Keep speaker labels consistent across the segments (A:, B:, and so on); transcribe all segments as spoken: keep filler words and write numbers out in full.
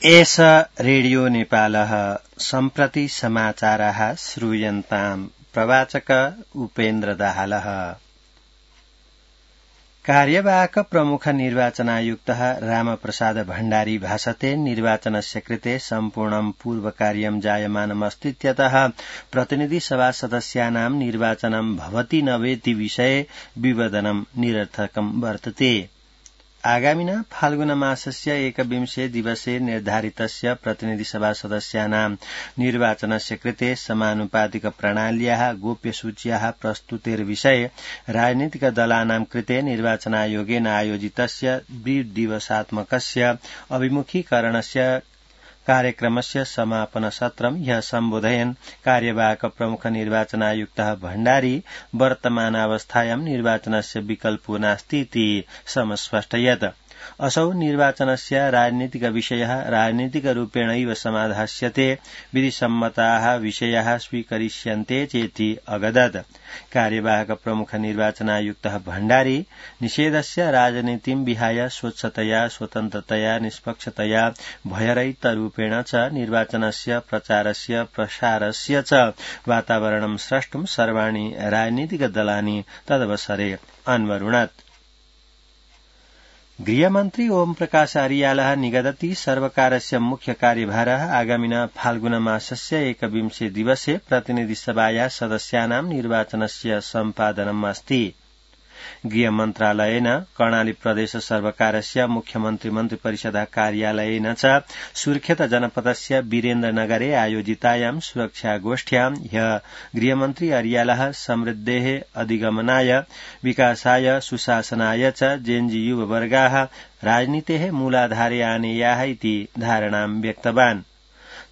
A: एष रेडियो नेपालः सम्प्रति समाचाराः श्रूयन्ताम्। प्रवाचक उपेन्द्र दाहालः। कार्यवाहक प्रमुख निर्वाचनायुक्तः रामप्रसाद भण्डारी भाषते निर्वाचनस्य कृते सम्पूर्णं पूर्वकार्यं जायमानमस्तीत्यतः प्रतिनिधि सभा सदस्यानां निर्वाचनं भवति न वेति विषये विवदनं निरर्थकं वर्तते। आगामिना फाल्गुन मासस्य एकविंशे दिवसे निर्धारितस्य प्रतिनिधिसभा सदस्यानां निर्वाचनस्य कृते समानुपातिक प्रणाल्याः गोप्यसूच्याः प्रस्तुतेर्विषये राजनीतिक दलानां कृते निर्वाचनायोगेन आयोजितस्य द्विदिवसात्मकस्य अभिमुखीकरणस्य कार्यक्रमस्य समापन सत्रं ह्यः सम्बोधयन् कार्यवाहक प्रमुख निर्वाचनायुक्तः भण्डारी वर्तमानावस्थायां निर्वाचनस्य विकल्पो नास्तीति समस्पष्टयत्। असौ निर्वाचनस्य राजनीतिक विषयः राजनीतिकरूपेणैव समाधास्यते, विधिसम्मताः विषयाः स्वीकरिष्यन्ते चेति अगदत्। कार्यवाहक प्रमुख निर्वाचनायुक्तः भण्डारी निषेधस्य राजनीतिं विहाय स्वच्छतया स्वतन्त्रतया निष्पक्षतया भयरहितरूपेण च निर्वाचनस्य प्रचारस्य प्रसारस्य च वातावरणं स्रष्टुं सर्वाणि राजनीतिक दलानि तदवसरे अन्वरुणत्। गृहमन्त्री ओम प्रकाश अरियालः निगदति सर्वकारस्य मुख्य कार्यभारः आगामिना फाल्गुन मासस्य एकविंशे दिवसे प्रतिनिधिसभाया सदस्यानां निर्वाचनस्य सम्पादनम् अस्ति। गृहमन्त्रालयेन कर्णाली प्रदेश सर्वकारस्य मुख्यमन्त्री मन्त्रिपरिषद कार्यालयेन च सुर्खेत जनपदस्य वीरेन्द्रनगरे आयोजितायां सुरक्षागोष्ठ्यां ह्यः गृहमन्त्री अरियालः समृद्धेः अधिगमनाय विकासाय सुशासनाय च जेएनजी युववर्गाः राजनीतेः मूलाधारे आनेयाः इति धारणां व्यक्तवान्।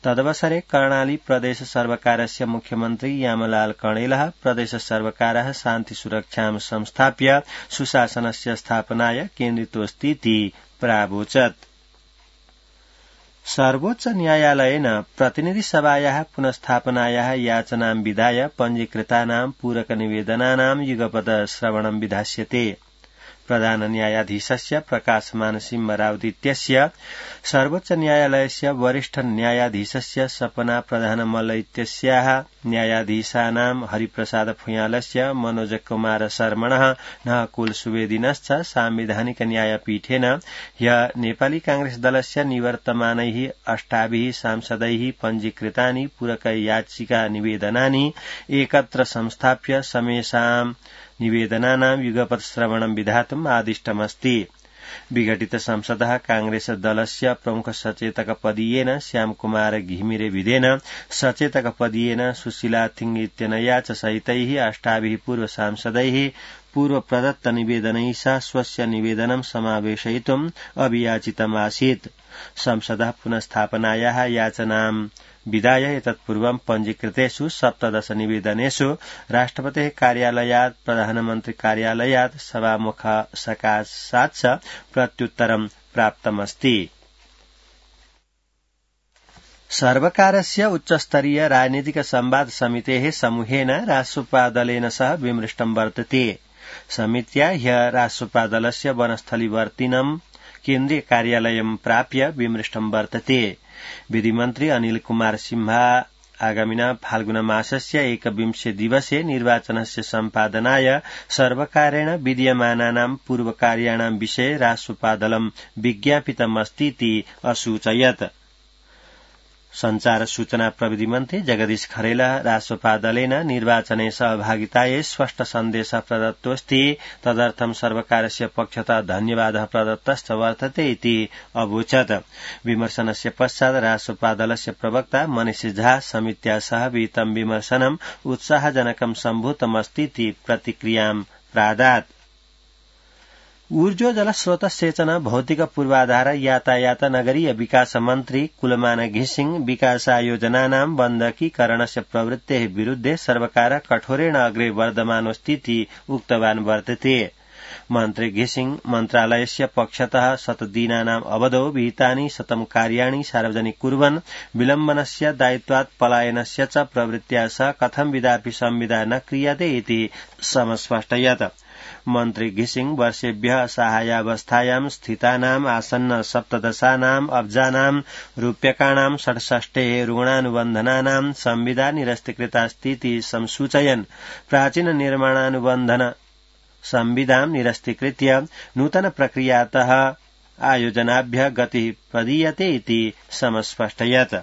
A: तदवसरे कर्णाली प्रदेश सर्वकारस्य मुख्यमन्त्री यामलाल कणेलः प्रदेश सर्वकारः शान्ति सुरक्षां संस्थाप्य सुशासनस्य स्थापनाय केन्द्रितोऽस्तीति प्रावोचत्। सर्वोच्च न्यायालयेन प्रतिनिधिसभायाः पुनस्थापनायाः याचनां विधाय पञ्जीकृतानां पूरकनिवेदनानां युगपत् श्रवणं विधास्यते। प्रधान न्यायाधीशस्य प्रकाशमान सिंहरावत इत्यस्य सर्वोच्च न्यायालयस्य वरिष्ठ न्यायाधीशस्य सपना प्रधानमल्ल इत्यस्याः न्यायाधीशानां हरिप्रसाद फुयालस्य मनोज कुमार शर्मणः नहकुल सुवेदिनश्च साम्विधानिक न्यायपीठेन ह्यः नेपाली कांग्रेस दलस्य निवर्तमानैः अष्टाभिः सांसदैः पञ्जीकृतानि पूरक याचिका निवेदनानि एकत्र संस्थाप्य समेषां निवेदनानां युगपत् श्रवणं विधातुम् आदिष्टमस्ति। विघटित संसदः कांग्रेस दलस्य प्रमुख सचेतक पदीयेन श्यामकुमार घिमिरे विधेन सचेतक पदीयेन सुशीला थिङ इत्यनया च सहितैः अष्टाभिः पूर्व सांसदैः पूर्व प्रदत्त निवेदनैः सह स्वस्य निवेदनं समावेशयितुम् अभियाचितमासीत्। संसदः पुनस्थापनायाः याचनां विधाय एतत्पूर्वं पञ्जीकृतेषु सप्तदश निवेदनेषु राष्ट्रपतेः कार्यालयात् प्रधानमन्त्री कार्यालयात् सभामुख सकाशात् च प्रत्युत्तरं प्राप्तमस्ति। सर्वकारस्य उच्चस्तरीय राजनीतिक संवाद समितेः समूहेन राष्ट्रपा दलेन सह विमृष्टं वर्तते। समित्या ह्यः राष्ट्रपा दलस्य वनस्थलीवर्तिनं केन्द्रीय कार्यालयं प्राप्य विमृष्टं वर्तते। विधिमन्त्री अनिल कुमार सिंह आगामिना फाल्गुन मासस्य एकविंशे दिवसे निर्वाचनस्य सम्पादनाय सर्वकारेण विधीयमानानां पूर्वकार्याणां विषये राष्ट्रपा दलं विज्ञापितमस्तीति असूचयत्। संचार सूचना प्रविधि मन्त्री जगदीश खरेलः राष्ट्रपा दलेन निर्वाचने सहभागितायै स्पष्ट सन्देशः प्रदत्तोऽस्ति, तदर्थं सर्वकारस्य पक्षतः धन्यवादः प्रदत्तश्च वर्तते इति अवोचत्। विमर्शनस्य पश्चात् राष्ट्रपा दलस्य प्रवक्ता मनीष झा समित्या सह विहितं विमर्शनम् उत्साहजनकं सम्भूतमस्तीति प्रतिक्रियां प्रादात्। ऊर्जो जलस्रोत सेचन भौतिक पूर्वाधार यातायात नगरीय विकास मन्त्री कुलमान घिसिङ विकासायोजनानां बन्धकीकरणस्य प्रवृत्तेः विरुद्धे सर्वकारः कठोरेण अग्रे वर्धमानोऽस्तीति उक्तवान् वर्तते। मन्त्री घिसिङ मन्त्रालयस्य पक्षतः शतदिनानाम् अवधौ विहितानि शतं कार्याणि सार्वजनिक कुर्वन् विलम्बनस्य दायित्वात् पलायनस्य च प्रवृत्त्या सह कथं विदापि संविदा न क्रियते इति समस्पष्टयत्। मन्त्री घिसिङ वर्षेभ्यः सहायावस्थायां स्थितानाम् आसन्न सप्तदशानाम् अब्जानाम् रूप्यकाणां षट्षष्टेः ऋणानुबन्धनानां संविदा निरस्तीकृतास्तीति संसूचयन् प्राचीन निर्माणानुबन्धन संविदां निरस्तीकृत्य नूतन प्रक्रियातः आयोजनाभ्यः गतिः प्रदीयते इति समस्पष्टयत्।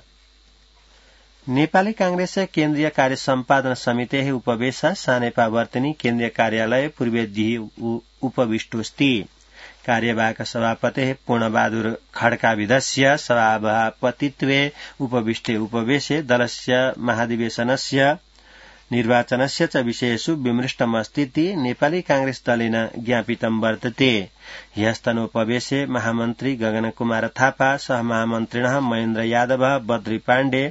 A: नेपाली कांग्रेस केन्द्रीय कार्य सम्पादन समितेः उपवेश सानेपावर्तिनी केन्द्रीय कार्यालय पूर्वेद्यः उपविष्टोऽस्ति। कार्यवाहक सभापतेः पूर्णबहादुर खड्काविधस्य सभापतित्वे उपविष्टे उपवेशे दलस्य महाधिवेशनस्य निर्वाचनस्य च विषयेषु विमृष्टमस्तीति नेपाली कांग्रेस दलेन ज्ञापितं वर्तते। ह्यस्तनोपवेशे महामन्त्री गगनकुमार थापा सहमहामन्त्रिणः महेन्द्र यादव बद्री पाण्डे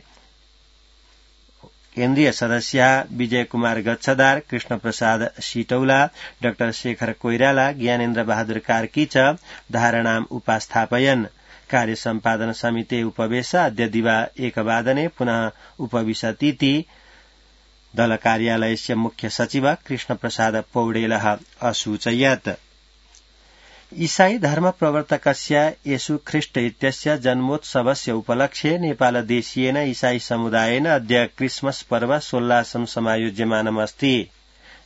A: केन्द्रीय सदस्याः विजय कुमार गच्छदार कृष्ण प्रसाद सिटौला डाक्टर शेखर कोइराला ज्ञानेन्द्र बहादुर कार्की च धारणाम् उपास्थापयन्। कार्य सम्पादन समिते उपवेश अद्य दिवा एकवादने पुनः उपविशतीति दल कार्यालयस्य मुख्य सचिव कृष्ण प्रसाद पौडेलः असूचयत्। ईसाई धर्म प्रवर्तकस्य येशू ख्रीष्ट इत्यस्य जन्मोत्सवस्य उपलक्ष्ये नेपालदेशीयेन ईसाई समुदायेन अद्य क्रिसमस पर्व सोल्लासं समायोज्यमानमस्ति।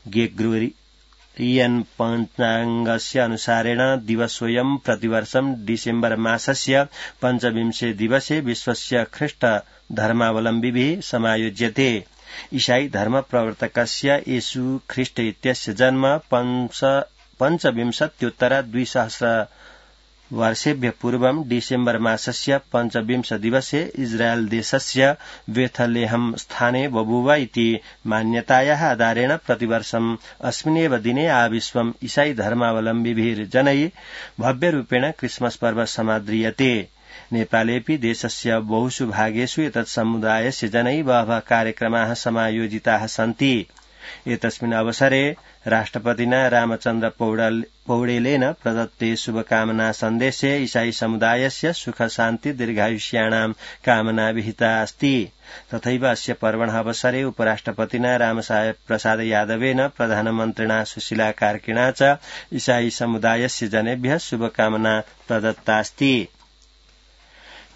A: ग्रेगोरियन पञ्चाङ्गस्य अनुसारेण दिवसोऽयं प्रतिवर्षं डिसेम्बर मासस्य पञ्चविंशे दिवसे विश्वस्य ख्रीष्ट धर्मावलम्बिभिः समायोज्यते। ईसाई धर्म प्रवर्तकस्य येशू ख्रीष्ट इत्यस्य जन्म पञ्चविंशत्युत्तर द्विसहस्र वर्षेभ्यः पूर्वं डिसेम्बर मासस्य पञ्चविंश दिवसे इस्राएल देशस्य बेथलेहम स्थाने बभूव इति मान्यतायाः आधारेण प्रतिवर्षम् अस्मिन्नेव दिने आविश्वम् ईसाई धर्मावलम्बिभिर्जनैः भव्यरूपेण क्रिसमस पर्व समाद्रियते। नेपालेऽपि देशस्य बहुषु भागेषु एतत् समुदायस्य जनैः बहवः कार्यक्रमाः समायोजिताः सन्ति। एतस्मिन् अवसरे राष्ट्रपतिना रामचन्द्र पौडेलेन प्रदत्ते शुभकामना सन्देशे ईसाई समुदायस्य सुख शान्ति दीर्घायुष्याणां कामना विहिता अस्ति। तथैव अस्य पर्वणः अवसरे उपराष्ट्रपतिना रामसाहेब प्रसाद यादवेन प्रधानमन्त्रिणा सुशीला कार्किणा च ईसाई समुदायस्य जनेभ्यः शुभकामना प्रदत्तास्ति।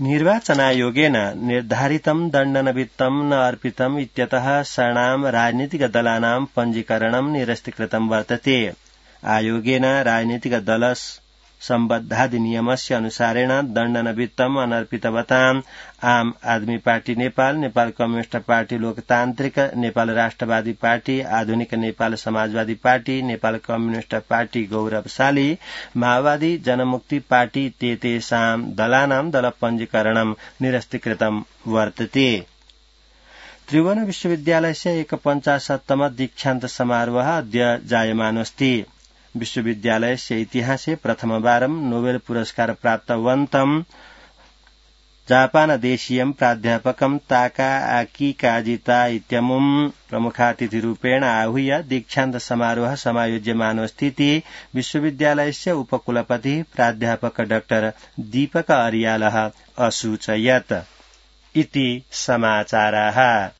A: निर्वाचनायोगेन निर्धारितं दण्डनवित्तं न अर्पितम् इत्यतः षणां राजनीतिकदलानां पञ्जीकरणं निरस्तीकृतं वर्तते। आयोगेन राजनीतिकदल सम्बद्धाधिनियमस्य अनुसारेण दण्डनवित्तम् अनर्पितवताम् Aam Aadmi party Nepal, Nepal communist party Loktantrik, Nepal Rashtrawadi party, Adhunik Nepal Samajwadi party, Nepal communist party Gauravshali, Maobadi Janmukti party इत्येतेषां दलानां दलपञ्जीकरणं निरस्तीकृतं वर्तते। त्रिभुवन विश्वविद्यालयस्य एकपञ्चाशत्तम दीक्षान्त समारोहः अद्य जायमानोऽस्ति। विश्वविद्यालयस्य इतिहासे प्रथमवारं नोबेल पुरस्कार प्राप्तवन्तं जापानदेशीयं प्राध्यापकं ताकाआकी काजिता इत्यमुं प्रमुखातिथिरूपेण आहूय दीक्षान्त समारोहः समायोज्यमानोऽस्ति विश्वविद्यालयस्य उपकुलपतिः प्राध्यापक डाक्टर दीपक अर्यालः असूचयत्। इति समाचाराः।